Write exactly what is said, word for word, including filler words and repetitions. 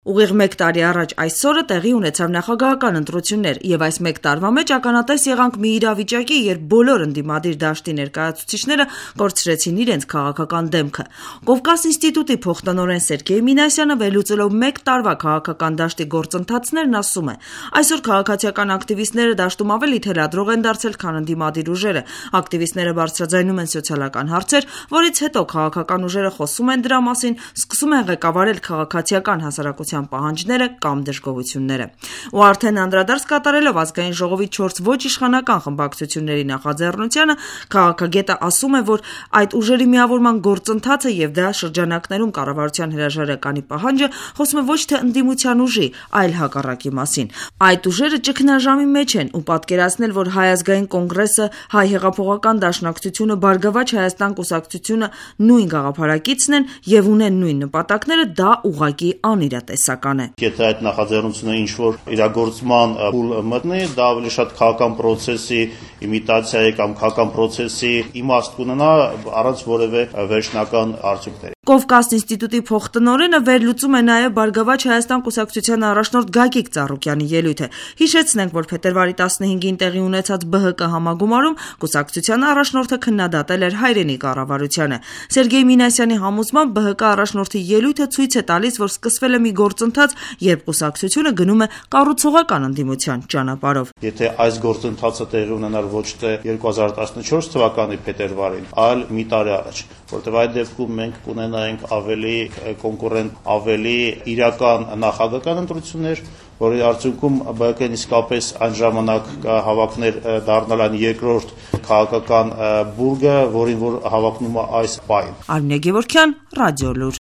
Ուղիղ մեկ տարի առաջ այսօրը տեղի ունեցավ նախագահական ընտրություններ, եւ այս մեկ տարվա մեջ ականատես եղանք մի իրավիճակի, երբ բոլոր ընդդիմադիր դաշտի ներկայացուցիչները կորցրեցին իրենց քաղաքական դեմքը։ Կովկաս ինստիտուտի փոխտնօրեն Սերգեյ Մինասյանը վերլուծելով մեկ տարվա քաղաքական դաշտի գործընթացներն ասում է. այսօր քաղաքացիական ակտիվիստները դաշտում ավելի թելադրող են դարձել, քան ընդդիմադիր ուժերը։ Ակտիվիստները բարձրաձայնում են սոցիալական հարցեր, որից հետո քաղաքական ուժերը խոսում են դրա մասին, սկսում են ղեկավարել քաղաքացիական հասարակության պահանջները կամ դժգոհությունները։ Ու արդեն անդրադարձ կատարելով ազգային ժողովի չորս ոչ իշխանական խմբակցությունների նախաձեռնությանը, քաղաքագետը ասում է, որ այդ ուժերի միավորման գործընթացը եւ դրա շրջանակներում կառավարության հրաժարականի պահանջը խոսում է ոչ թե ընդդիմության ուժի, այլ հակառակի մասին։ Այդ ուժերը ճգնաժամի մեջ են ու պատկերացնել, որ Հայ ազգային կոնգրեսը, Հայ հեղափոխական դաշնակցությունը, Բարգավաճ Հայաստան կուսակցությունը նույն գաղափարակիցն են եւ ունեն նույն նպատակները, դա ուղղակի անիրատեսական է։ Եթե այդ նախաձեռնությունը ինչ-որ իրագործման փուլ մտնի, դա ավելի շատ քաղաքական պրոցեսի իմիտացիայի կամ քաղաքական պրոցեսի իմաստ կունենա առանց որևէ վերջնական արդյունքների։ Կովկաս ինստիտուտի փոխտնօրենը վերլուծում է նաև Բարգավաճ Հայաստան կուսակցության առաջնորդ Գագիկ Ծառուկյանի ելույթը։ Հիշեցնենք, որ փետրվարի տասնհինգին տեղի ունեցած Բ Հ Կ համագումարում կուսակցության առաջնորդը քննադատել էր հայրենի կառավարությանը։ Սերգեյ Մինասյանի համոզմամբ Բ Հ Կ առաջնորդի ելույթը ցույց է տալիս, որ սկսվել է մի գործընթաց, երբ կուսակցությունը գնում է կառուցողական ընդդիմության ճանապարհով։ Եթե այս գործընթացը տեղի ունենար ոչ թե երկու հազար տասնչորս թվականի փետրվարին, այլ մի տարի առաջ, որտեղ այդ դեպքում մենք կունենայինք ավելի կոնկուրենտ, ավելի իրական նախագահական ընտրություններ, որի արդյունքում Բ Հ Կ-ն իսկապես այն ժամանակ հավակներ դառնալ այն երկրորդ քաղաքական բուրգը, որին որ հավակնում է այս պայն։ Արմինե Գևորգյան, Ռադիոլուր։